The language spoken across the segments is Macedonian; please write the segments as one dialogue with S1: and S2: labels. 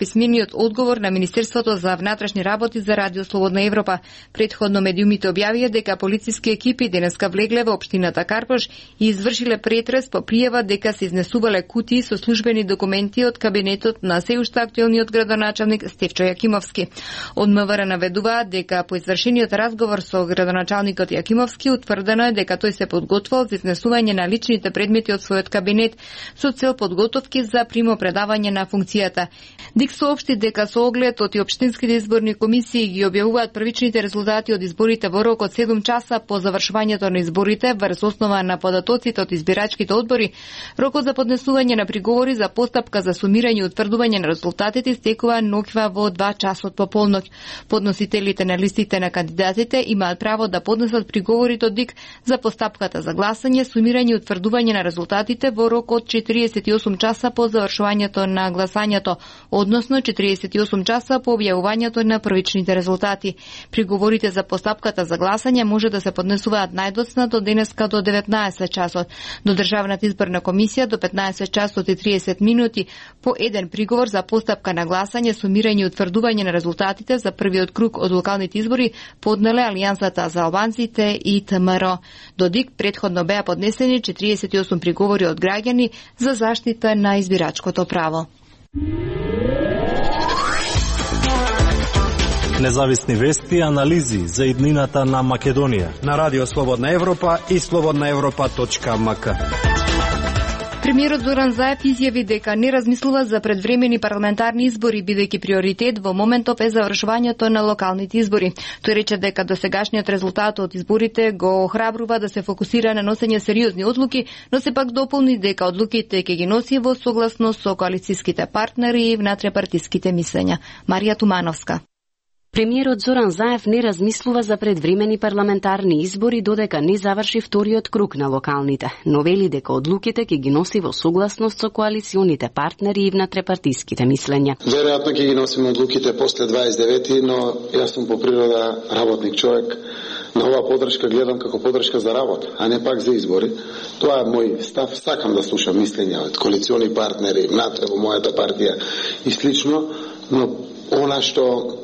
S1: писмениот одговор на Министерството за внатрешни работи за Радио Слободна Европа. Претходно медиумите објавија дека полициски екипи денеска влегле во општината Карпош и извршиле претрес по пријава дека се изнесувале кутии со службени документи од кабинетот на се уште актуелниот градоначалник Стефчо Јакимовски. Од МВР наведуваат дека по извршениот разговор со градоначалникот Јакимовски утврдено е дека тој се подготвил за изнесување на личните предмети од својот кабинет со цел подготовки за примопредавање на функцијата. ДИК соопшти дека со оглед и општинските изборни комисии ги објавуваат првичните резултати од изборите во рок од 7 часа по завршувањето на изборите врз основа на податоците од избирачките одбори. Рокот за поднесување на приговори за постапка за сумирање и утврдување на резултатите истекува ноќва во 2 часот по полноќ. Подносителите на листите на кандидатите имаат право да поднесат приговорите од ДИК за постапката за гласање, сумирање и утврдување на резултатите во рок од 48 часа по завршувањето на гласањето, односно 48 часа по објавувањето на првичните резултати. Приговорите за постапката за гласање може да се поднесуваат најдоцна до денеска до 19 часот. До Државната изборна комисија до 15 часот и 30 минути по еден приговор за постапка на гласање, сумирање и утврдување на резултатите за првиот круг од локалните избори поднеле Алијансата за албанците и ВМРО. До ДИК претходно беа поднесени 48 приговори од граѓани за заштита на избирачкото право.
S2: Независни вести и анализи за иднината на Македонија
S3: на Радио Слободна Европа и slobodnaevropa.mk.
S1: Премиерот Зоран Заев изјави дека не размислува за предвремени парламентарни избори, бидејќи приоритет во моментов е завршувањето на локалните избори. Тој рече дека досегашниот резултат од изборите го охрабрува да се фокусира на носење сериозни одлуки, но сепак дополни дека одлуките ќе ги носи во согласност со коалицијските партнери и внатре-партиските мислења. Марија Тумановска.
S4: Премиерот Зоран Заев не размислува за предвремени парламентарни избори додека не заврши вториот круг на локалните, но вели дека одлуките ќе ги носи во согласност со коалиционите партнери и внатрепартиските мислења.
S5: Веројатно ќе ги носиме одлуките после 29-ти, но јас сум по природа работник човек. На оваа подршка гледам како подршка за работа, а не пак за избори. Тоа е мој став, сакам да слушам мислења од коалициони партнери, внатре во мојата партија и слично, но она што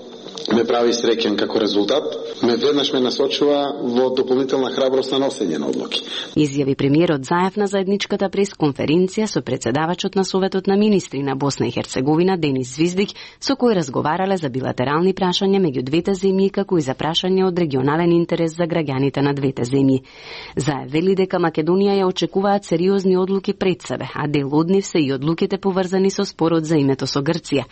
S5: ме прави среќен како резултат, веднаш ме насочува во дополнителна храброст на носење на одлуки.
S4: Изјави премиерот Заев на заедничката пресконференција со председавачот на Советот на министри на Босна и Херцеговина Денис Звиздик, со кој разговарале за билатерални прашања меѓу двете земји, како и за прашање од регионален интерес за граѓаните на двете земји. Заев вели дека Македонија ја очекуваат сериозни одлуки пред себе, а дел од нив се и одлуките поврзани со спорот за името со Грција.